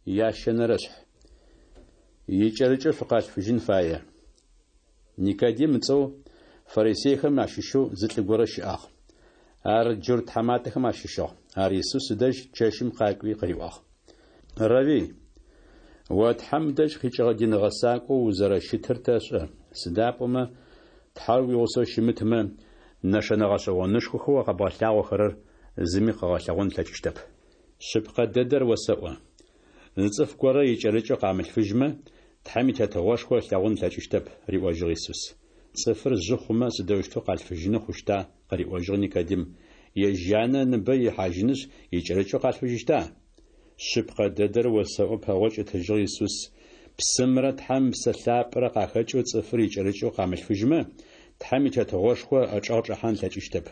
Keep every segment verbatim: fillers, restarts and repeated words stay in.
Ящэнэрэшъхь. Икӏэрыкӏэу шъукъалъфыжьын фае. Никодим ыцӏэу фарисейхэм ащыщэу зы лӏы горэ щыӏагъ. Ар джурт тхьаматэхэм ащыщыгъ. Ар Исус ыдэжь чэщым къакӏуи къыриӏуагъ: Равви, о Тхьэм дэжь къикӏыгъэ дин гъэсакӏоу узэрэщытыр тэшӏэ, сыда пӏомэ Тхьэр уигъусэу щымытмэ, нэшэнэ гъэшӏэгъонышхохэу къэбгъэлъагъохэрэр зыми къыгъэлъэгъон ылъэкӏыщтэп. Шъыпкъэ дэдэр осэӏо: зы цӏыф горэ икӏэрыкӏэу къамылъфыжьмэ, Тхьэм и Тетыгъошхо ылъэгъун ылъэкӏыщтэп, – риӏожьыгъ Исус. Цӏыфыр жъы хъумэ, сыдэущтэу къалъфыжьыны хъущта? – къыриӏожьыгъ Никодим. Ежь янэ ыныбэ ихьажьынышъ, икӏэрыкӏэу къалъфыжьыщта? Шъыпкъэ дэдэр осэӏо, – пэгъокӏ ытыжьыгъ Исус, – псымрэ Тхьэм Ыпсэ Лъапӏэрэ къахэкӏэу цӏыфыр икӏэрыкӏэу къамылъфыжьмэ, Тхьэм и Тетыгъошхо ычӏэгъ чӏэхьан ылъэкӏыщтэп.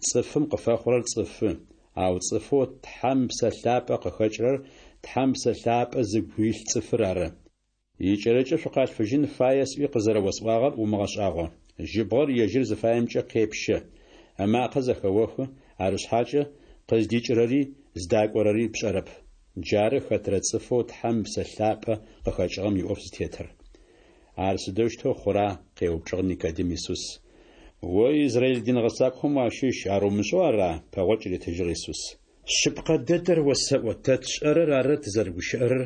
Цӏыфым къыфэхъурэр цӏыфы, ау цӏыфэу Тхьэм Ыпсэ Лъапӏэ къыхэкӏырэр Тхьэм Ыпсэ Лъапӏэ зыгу илъ цӏыфыр ары. Икӏэрыкӏэу шъукъалъфыжьын фае сӏуи къызэрэосӏуагъэр умыгъэшӏагъо. Жьыбгъэр ежьыр зыфаемкӏэ къепщэ, ымакъэ зэхэохы, арышъхьакӏэ къыздикӏырэри зыдакӏорэри пшӏэрэп. Джары хэтрэ цӏыфэу Тхьэм Ыпсэ Лъапӏэ къыхэкӏыгъэм иӏоф зытетыр. Ар сыдэущтэу хъура? – къеупчӏыгъ Никодим Исус. О израиль дин гъэсакӏохэм уащыщ, ар умышӏэу ара? – пэгъокӏ ритыжьыгъ Исус. Шъыпкъэ дэдэр осэӏо: тэ тшӏэрэр ары тызэрыгущыӏэрэр,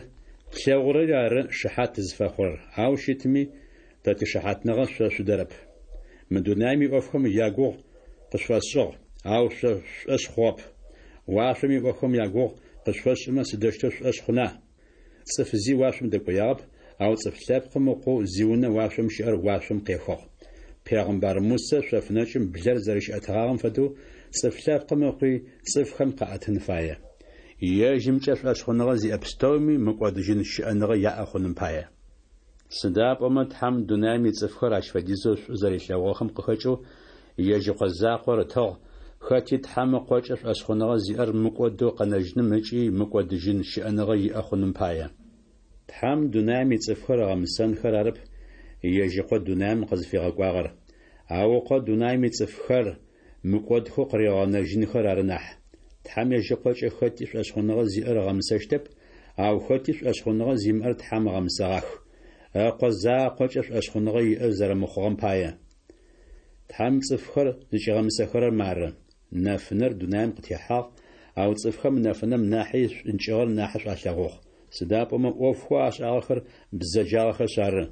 тлъэгъурэри ары шыхьат тызфэхъурэр, ау щытми тэ тишыхьатныгъэ шъо шъудэрэп. Мы дунаим иӏофхэм ягугъу къышъуфэсшӏыгъ, ау шъо шъушӏошъ хъугъэп. Уашъом иӏофхэм ягугъу къышъуфэсшӏымэ, сыдэущтэу шъушӏошъ хъуна? Цӏыф зи уашъом дэкӏоягъэп, ау Цӏыф Лъэпкъым Ыкъоу зиунэ уашъом щыӏэр уашъом къехыгъ. Пегъымбар Мусэ шъоф нэкӏым блэр зэрэщиӏэтыгъагъэм фэдэу Цӏыф Лъэпкъым Ыкъуи цӏыфхэм къаӏэтын фае. Ежьымкӏэ шӏошъхъуныгъэ зиӏэ пстэуми мыкӏодыжьын щыӏэныгъэ яӏэ хъуным пае. Сыда пӏомэ Тхьэм дунаим ицӏыфхэр ащ фэдизэу шӏу зэрилъэгъугъэхэм къыхэкӏэу ежь Ыкъо закъор ытыгъ, хэти Тхьэм Ыкъокӏэ шӏошъхъуныгъэ зиӏэр мыкӏодэу къэнэжьыным ыкӏи мыкӏодыжьын щыӏэныгъэ иӏэ хъуным пае. Тхьэм дунаим ицӏыфхэр ыгъэмысэнхэр арэп ежь Ыкъо дунаим къызфигъэкӏуагъэр, ау Ыкъо дунаим ицӏыфхэр мыкӏодхэу къыригъэнэжьынхэр ары нахь. Тхьэм ежь Ыкъокӏэ хэти шӏошъхъуныгъэ зиӏэр ыгъэмысэщтэп, ау хэти шӏошъхъуныгъэ зимыӏэр Тхьэм ыгъэмысэгъах, Ыкъо закъокӏэ шӏошъхъуныгъэ иӏэ зэрэмыхъугъэм пае. Тхьэм цӏыфхэр зыкӏигъэмысэхэрэр мары: нэфынэр дунаим къытехьагъ, ау цӏыфхэм нэфынэм нахьи шӏункӏыгъэр нахьышӏу алъэгъугъ, сыда пӏомэ ӏофхэу ашӏагъэхэр бзэджагъэхэшъ ары.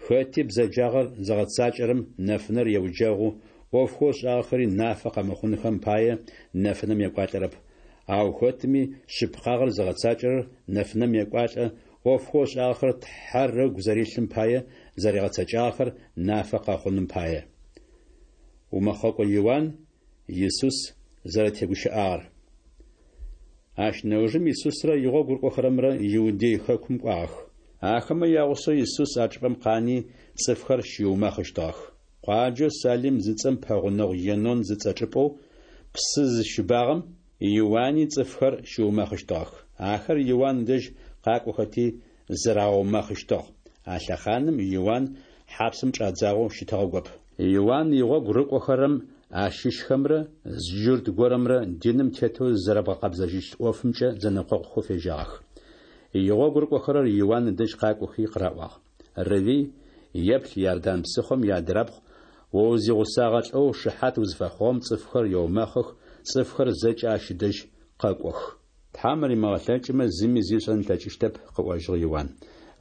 Хэти бзэджагъэр зыгъэцакӏэрэм нэфынэр еуджэгъу, ӏофхэу ышӏагъэхэри нафэ къэмыхъунхэм пае нэфынэм екӏуалӏэрэп. Ау хэтми шъыпкъагъэр зыгъэцакӏэрэр нэфынэм екӏуалӏэ, ӏофхэу ышӏагъэхэр Тхьэр ыгу зэрилъым пае зэригъэцэкӏагъэхэр нафэ къэхъуным пае. Умэхъэкӏо Иуан Исус зэрэтегущыӏагъэр. Ащ нэужым Исусрэ игъогу рыкӏохэрэмрэ Иудей хэкум кӏуагъэх. Ахэмэ ягъусэу Исус а чӏыпӏэм къани, цӏыфхэр щиумэхъыщтыгъэх. Къуаджэу Салим зыцӏэм пэгъунэгъу Енон зыцӏэ чӏыпӏэу псы зыщыбагъэм Иуани цӏыфхэр щиумэхъыщтыгъэх. Ахэр Иуан дэжь къакӏохэти зырагъэумэхъыщтыгъ. А лъэхъаным Иуан хьапсым чӏадзагъэу щытыгъэгоп. Иуан игъогу рыкӏохэрэм ащыщхэмрэ зы джурт горэмрэ диным тетэу зызэрэбгъэкъэбзэжьыщт ӏофымкӏэ зэнэкъокъухэу фежьагъэх. Игъогу рыкӏохэрэр Иуан ыдэжь къакӏохи къыраӏуагъ: Равви, еплъ Иордан псыхъом иадырабгъу о узигъусагъэ лӏэу шыхьат узыфэхъугъэм цӏыфхэр еумэхъых, цӏыфхэр зэкӏэ ащ ыдэжь къэкӏох. Тхьэм римыгъэлъэкӏымэ, зыми зи ышӏэн ылъэкӏыщтэп, къыӏожьыгъ Иуан.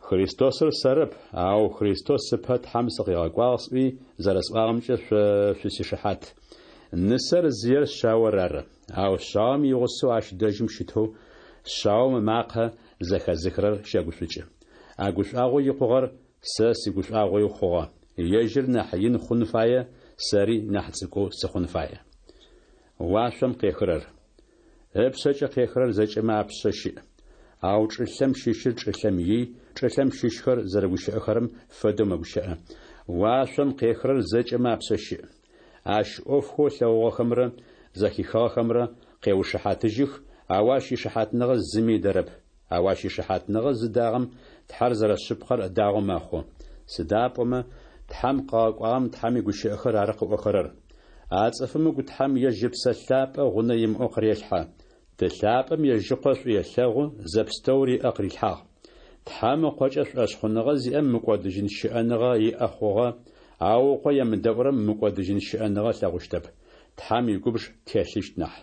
Христосыр сэрэп, ау Христос ыпэ Тхьэм сыкъигъэкӏуагъ сӏуи зэрэсӏуагъэмкӏэ шъо шъусишыхьат. Нысэр зыер шъаор ары, ау шъаом игъусэу ащ дэжьым щытэу шъаом ымакъэ зэхэзыхырэр щэгушӏукӏы. А гушӏуагъоу икъугъэр сэ сигушӏуагъоуи хъугъэ. Ежьыр нахь ин хъун фае, сэри нахь цӏыкӏоу сыхъун фае. Уашъом къехырэр. Ыпшъэкӏэ къехырэр зэкӏэмэ апшъэ щыӏ. Ау чӏылъэм щыщыр чӏылъэм ий, чӏылъэм щыщхэр зэрэгущыӏэхэрэм фэдэу мэгущыӏэ. Уашъом къехырэр зэкӏэмэ апшъэ щыӏ. Ащ ӏофхэу ылъэгъугъэхэмрэ зэхихыгъэхэмрэ къеушыхьатыжьых, ау ащ ишыхьатныгъэ зыми ыдэрэп. Ау ащ ишыхьатныгъэ зыдагъэм Тхьэр зэрэшъыпкъэр ыдагъэу мэхъу. Сыда пӏомэ Тхьэм къыгъэкӏуагъэм Тхьэм игущыӏэхэр ары къыӏохэрэр. А цӏыфым ыгу Тхьэм ежь Ыпсэ Лъапӏэ гъунэ имыӏэу къырелъхьэ. Ты лъапӏэм ежь Ыкъо шӏу елъэгъу, зэпстэури ыӏэ къырилъхьагъ. Тхьэм Ыкъокӏэ шӏошъхъуныгъэ зиӏэм мыкӏодыжьын щыӏэныгъэ иӏэ хъугъэ, ау Ыкъо емыдэӏурэм мыкӏодыжьын щыӏэныгъэ ылъэгъущтэп, Тхьэм игубж телъыщт нахь.